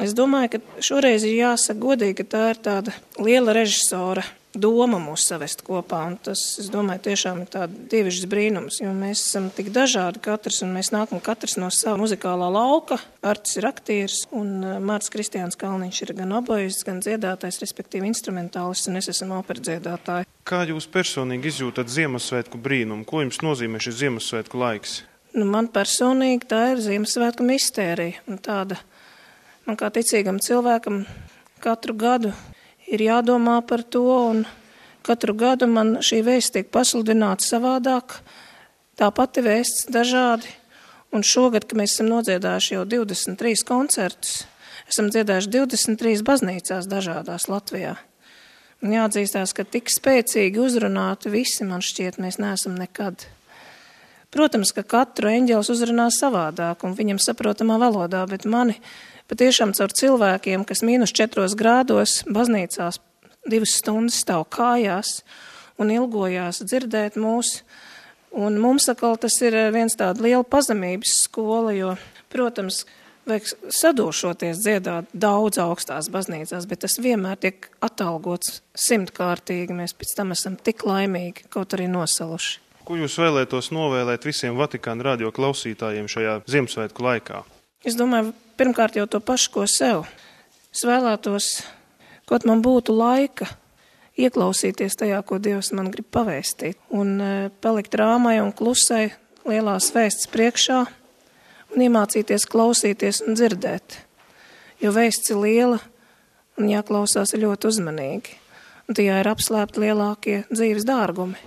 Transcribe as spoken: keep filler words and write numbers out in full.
Es domāju, ka šoreiz ir jāsaka godīgi, ka tā ir tāda liela režisora doma mūs savest kopā, un tas, es domāju, tiešām ir tāda dievišķs brīnums, jo mēs esam tik dažādi katrs, un mēs nākam katrs no sava muzikālā lauka. Artis ir aktieris, un Mārts Kristiāns Kalniņš ir gan obojists, gan dziedātājs, respektīvi instrumentālists, un es esmu operdziedātāja. Kā jūs personīgi izjūtat Ziemassvētku brīnumu? Ko jums nozīmē šis Ziemassvētku laiks? Nu, man personīgi tā ir Ziemassvētku mistērija, un tāda, man kā ticīgam cilvēkam katru gadu ir jādomā par to, un katru gadu man šī vēsts tiek pasludināta savādāk, tā pati vēsts dažādi, un šogad, kad mēs esam nodziedājuši jau divdesmit trīs koncertus, esam dziedājuši divdesmit trīs baznīcās dažādās Latvijā. Un jāatzīstās, ka tik spēcīgi uzrunāti visi, man šķiet, mēs neesam nekad. Protams, ka katru eņģelis uzrunā savādāk un viņam saprotamā valodā, bet mani patiešām caur cilvēkiem, kas mīnus četros grādos baznīcās divas stundas stāv kājās un ilgojās dzirdēt mūs. Un mums atkal tas ir viens tāda liela pazemības skola, jo, protams, vajag sadošoties dziedāt daudz augstās baznīcās, bet tas vienmēr tiek atalgots simtkārtīgi. Mēs pēc tam esam tik laimīgi, kaut arī nosaluši. Ko jūs vēlētos novēlēt visiem Vatikāna radio klausītājiem šajā Ziemassvētku laikā? Es domāju, pirmkārt jau to pašu, ko sev. Es vēlētos, kaut man būtu laika ieklausīties tajā, ko Dievs man grib pavēstīt, un palikt rāmai un klusai lielās vēsts priekšā un iemācīties klausīties un dzirdēt. Jo vēsts ir liela un jāklausās ļoti uzmanīgi, un tajā ir apslēpti lielākie dzīves dārgumi.